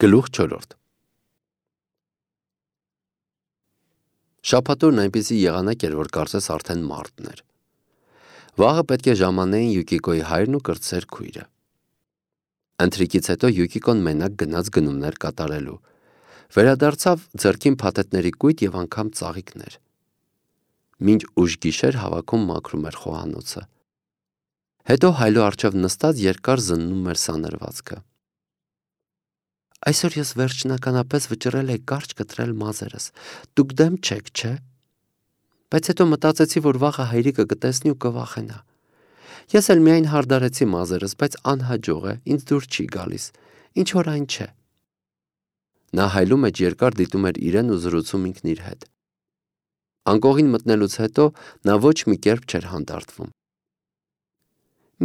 Գլուխ 4 Շաբաթօրն այնպիսի եղանակ էր, որ կարծես արդեն մարտն էր։ Վաղը պետք է ժամանեին Յուկիկոյի հայրն ու կրտսեր քույրը։ Ընթրիքից հետո Յուկիկոն մենակ գնաց գնումներ կատարելու։ Վերադարձավ ձեռքին փաթեթների կույտ եւ անգամ ծաղիկներ։ Մինչ ուշ գիշեր հավաքում մաքրում էր խոհանոցը։ Հետո հայլու առջև նստած երկար զննում էր սանրվածքը։ Այսօր ես վերջնականապես վճռել էի կարճ կտրել մազերս, դուք դեմ չեք, չէ՞։ Բայց հետո մտածեցի, որ վաղը հայրիկը կտեսնի ու կվախենա։ Ես էլ միայն հարդարեցի մազերս, բայց անհաջող է, ինձ դուր չի գալիս, ինչ որ այն չէ։ Նա հայլու մեջ երկար դիտում էր իրեն ու զրուցում ինքն իր հետ։ Անկողին մտնելուց հետո նա ոչ մի կերպ չէր հանդարտվում։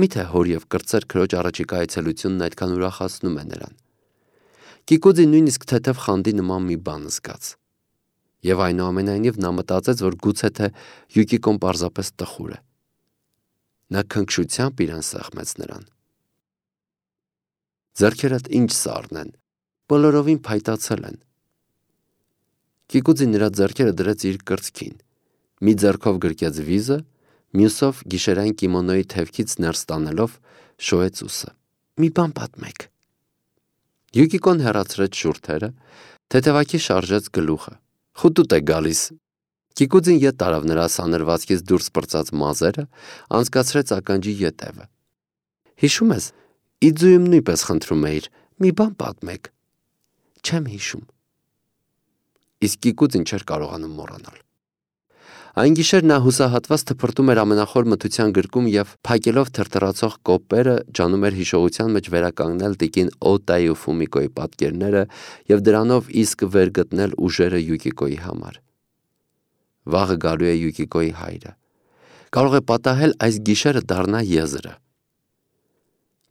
Միթե հոր եւ կրտսեր քրոջ առաջիկա այցելությունն այդքան ուրախացնում է նրան։ Կիկուձին նույնիսկ թեթև խանդի նման մի բան զգաց։ Եվ այնուամենայնիվ նա մտածեց, որ գուցե թե Յուկիկոն պարզապես տխուր է։ Նա քնքշությամբ իրան սեղմեց նրան։ Ձեռքերդ ինչ սառն են, բոլորովին փայտացել են։ Կիկուձին նրա ձեռքերը դրեց իր կրծքին, մի ձեռքով գրկեց վիզը, մյուսով գիշերային կիմոնոյի թևքից ներս տանելով շոյեց ուսը։ Մի բան պատմեք։ Յուկիկոն հեռացրեց շուրթերը, թեթևակի շարժեց գլուխը։ Խուտուտ է գալիս։ Կիկուձին ետ տարավ նրա սանրվածքից դուրս պրծած մազերը, անցկացրեց ականջի ետևը։ Հիշում ես, Իձուում նույնպես խնդրում էիր, մի բան պատմեք։ Չեմ հիշում։ Իսկ Կիկուձին չէր կարողանում մոռանալ։ Այն գիշեր նա հուսահատված թփրտում էր ամենախոր մթության գրկում եւ փակելով թրթռացող կոպերը ջանում էր հիշողության մեջ վերականգնել տիկին Օտայի ու Ֆումիկոյի պատկերները եւ դրանով իսկ վերգտնել ուժերը Յուկիկոյի համար։ Վաղը գալու է Յուկիկոյի հայրը։ Կարող է պատահել այս գիշերը դառնա եզրը։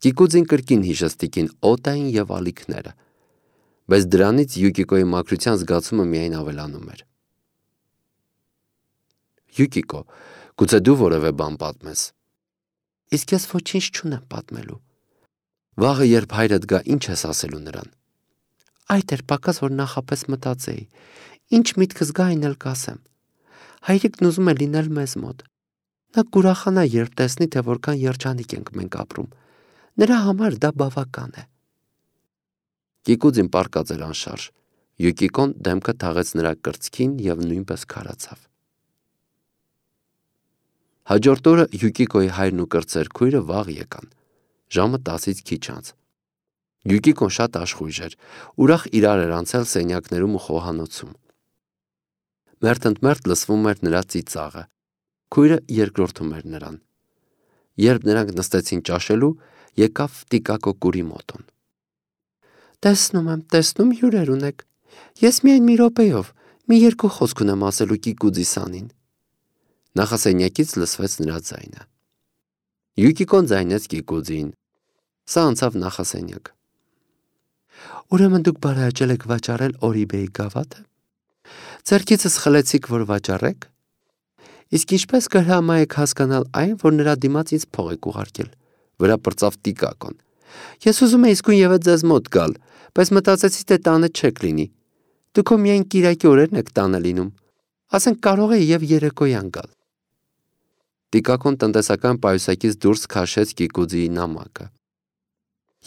Կիկուձին կրկին հիշեց տիկին Օտային եւ ալիքները, բայց դրանից Յուկիկոյի մաքրության զգացումը միայն ավելանում էր։ Յուկիկո, գուցե դու որևէ բան պատմես։ Իսկ ես ոչինչ չունեմ պատմելու։ Վաղը երբ հայրդ գա, ինչ ես ասելու նրան։ Այդ էր պակաս, որ նախապես մտածեի։ Ինչ միտքս գա, այն էլ կասեմ։ Հայրիկն ուզում է լինել մեզ մոտ։ Նա կուրախանա, երբ տեսնի, թե որքան երջանիկ ենք մենք ապրում։ Նրա համար դա բավական է։ Կիկուձին պառկած էր անշարժ։ Յուկիկոն դեմքը թաղեց նրա կրծքին եւ նույնպես քարացավ։ Հաջորդ օրը Յուկիկոյի հայրն ու կրտսեր քույրը վաղ եկան, ժամը 10-ից քիչ անց։ Յուկիկոն շատ աշխույժ էր, ուրախ իրար էր անցել սենյակներում ու խոհանոցում։ Մերթընդմերթ լսվում էր նրա ծիծաղը, քույրը երկրորդում էր նրան։ Երբ նրանք նստեցին ճաշելու, եկավ Տիկակո կուրի մոտոն։ Տեսնում հյուրեր ունեք։ Ես միայն մի րոպեով, մի երկու խոսք ունեմ ասելու Կիկուձի սանին։ Նախասենյակից լսվեց նրա ձայնը։ Յուկիկոն ձայնեց Կիկուձին։ Սա անցավ նախասենյակ։ Ուրեմն դուք բարեհաճել եք վաճառել Օրիբեի գավաթը։ Ձեռքիցս խլեցիք, որ վաճառեք։ Իսկ ինչպես կհրամայեք հասկանալ այն, որ նրա դիմաց ինձ փող եք ուղարկել, վրա պրծավ Տիկակոն։ Ես ուզում եի իսկույն ևեթ ձեզ մոտ գալ, բայց մտածեցի, թե տանը չեք լինի։ Դուք միայն կիրակի օրերն եք տանը լինում։ Ասենք կարող է եւ երեկոյան գալ։ Տիկակոն տնտեսական պայուսակից դուրս քաշեց Կիկուձիի նամակը։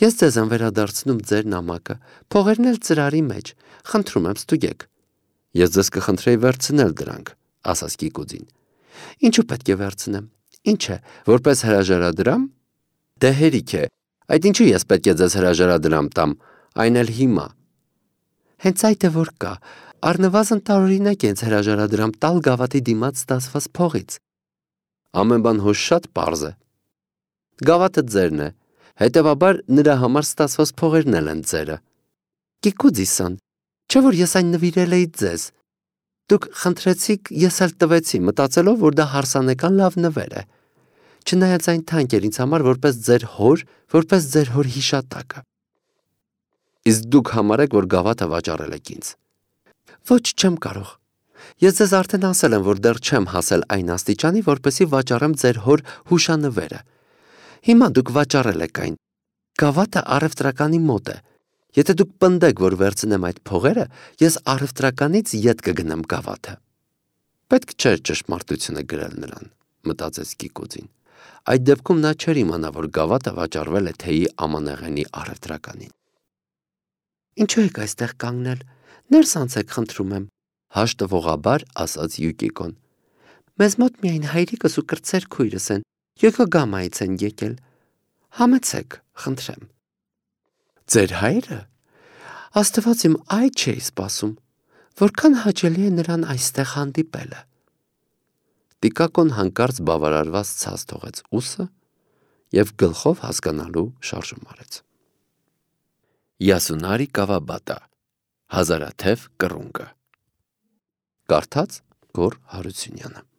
Ես ձեզ եմ վերադարձնում ձեր նամակը, փողերն էլ ծրարի մեջ, խնդրում եմ ստուգեք։ Ես ձեզ կխնդրեի վերցնել դրանք, ասաց Կիկուձին։ Ինչու պետք է վերցնեմ։ Ինչ է, որպես հրաժարադրամ։ Դե հերիք է, այդ ինչու ես պետք է ձեզ հրաժարադրամ տամ, այն էլ հիմա։ Հենց այդ է որ կա, առնվազն տարօրինակ է ինձ հրաժարադրամ տալ գավաթի դիմաց ստացված փողից։ Ամեն բան հոժ շատ պարզ է։ Գավաթը ձերն է, հետևաբար նրա համար ստացված փողերն էլ են ձերը։ Կիկուձիսան, չէ որ ես այն նվիրել էի ձեզ։ Դուք խնդրեցիք, ես էլ տվեցի, մտածելով, որ դա հարսանեկան լավ նվեր է։ Չնայած այն թանկ էր ինձ համար որպես ձեր հոր հիշատակը։ Իսկ դուք համարեք, որ գավաթը վաճառել եք ինձ։ Ոչ, չեմ կարող։ Ես ձեզ արդեն ասել եմ, որ դեռ չեմ հասել այն աստիճանի, որպեսզի վաճառեմ ձեր հոր հուշանվերը։ Հիմա դուք վաճառել եք այն։ Գավաթը առևտրականի մոտ է։ Եթե դուք պնդեք, որ վերցնեմ այդ փողերը, ես առևտրականից ետ կգնեմ գավաթը։ Պետք չէր ճշմարտությունը գրել նրան, մտածեց Կիկուձին։ Այդ դեպքում նա չէր իմանա, որ գավաթը վաճառվել է թեյի ամանեղենի առևտրականին։ Ինչու եք այստեղ կանգնել, ներս անցեք, խնդրում եմ, հաշտվողաբար ասաց Յուկիկոն։ Մեզ մոտ միայն հայրիկս ու կրտսեր քույրս են, Յոկոգամայից են եկել։ Համեցեք, խնդրեմ։ Ձեր հայրը։ Աստված իմ այդ չէի սպասում, որքան հաճելի է նրան այստեղ հանդիպելը։ Տիկակոն հանկարծ բավարարված ցած թողեց ուսը և գլխով հասկանալու շարժում արեց։ Յասունարի Կավաբատա, Հազարաթև կռունկը։ Կարդաց Գոռ Հարությունյանը։